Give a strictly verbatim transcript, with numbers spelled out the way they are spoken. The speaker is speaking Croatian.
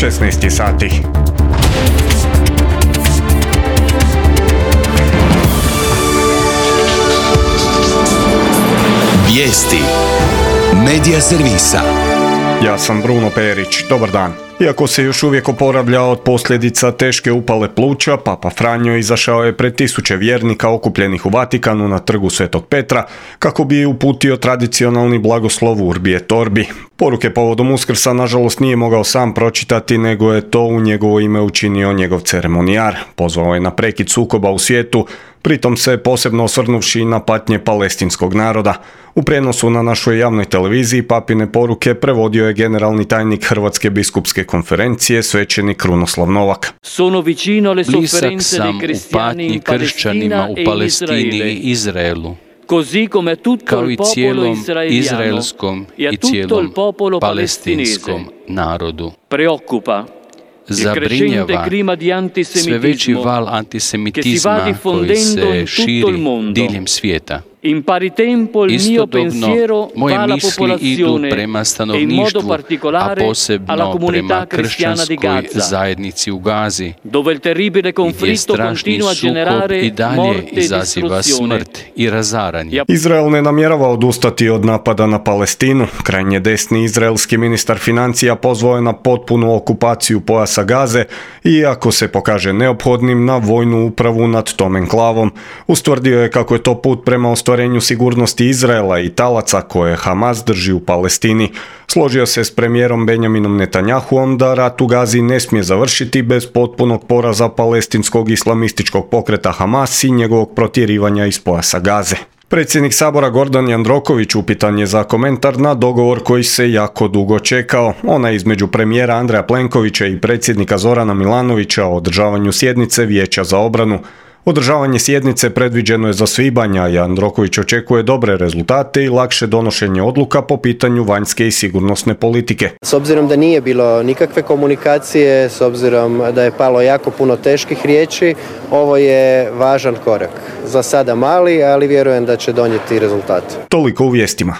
šesnaest je sati. Vijesti Medija servisa. Ja sam Bruno Perić, dobar dan. Iako se još uvijek oporavlja od posljedica teške upale pluća, Papa Franjo izašao je pred tisuće vjernika okupljenih u Vatikanu na trgu Svetog Petra kako bi uputio tradicionalni blagoslov Urbi et Orbi. Poruke povodom Uskrsa nažalost nije mogao sam pročitati, nego je to u njegovo ime učinio njegov ceremonijar. Pozvao je na prekid sukoba u svijetu, pritom se posebno osvrnuvši na patnje palestinskog naroda. U prijenosu na našoj javnoj televiziji papine poruke prevodio je generalni tajnik Hrvatske biskupske konferencije, svećenik Krunoslav Novak. Blizak sam u patnji kršćanima u Palestini i Izraelu, kao i cijelom izraelskom i cijelom palestinskom narodu. Zabrinjava sve veći val antisemitizma koji se širi diljem svijeta. Istodobno, moje misli idu prema stanovništvu, a posebno prema kršćanskoj zajednici u Gazi, gdje strašni sukob i dalje izaziva smrt i razaranje. Izrael ne namjerava odustati od napada na Palestinu. Krajnje desni izraelski ministar financija pozvao je na potpunu okupaciju pojasa Gaze i ako se pokaže neophodnim na vojnu upravu nad tom enklavom. Ustvrdio je kako je to put prema ostvarenju sigurnosti Izraela i talaca koje Hamas drži u Palestini. Složio se s premijerom Benjaminom Netanjahuom da rat u Gazi ne smije završiti bez potpunog poraza palestinskog islamističkog pokreta Hamas i njegovog protjerivanja iz pojasa Gaze. Predsjednik Sabora Gordan Jandroković upitan je za komentar na dogovor koji se jako dugo čekao. Ona između premijera Andreja Plenkovića i predsjednika Zorana Milanovića o održavanju sjednice Vijeća za obranu. Održavanje sjednice predviđeno je za svibanj, a Jandroković očekuje dobre rezultate i lakše donošenje odluka po pitanju vanjske i sigurnosne politike. S obzirom da nije bilo nikakve komunikacije, s obzirom da je palo jako puno teških riječi, ovo je važan korak. Za sada mali, ali vjerujem da će donijeti rezultat. Toliko u vijestima.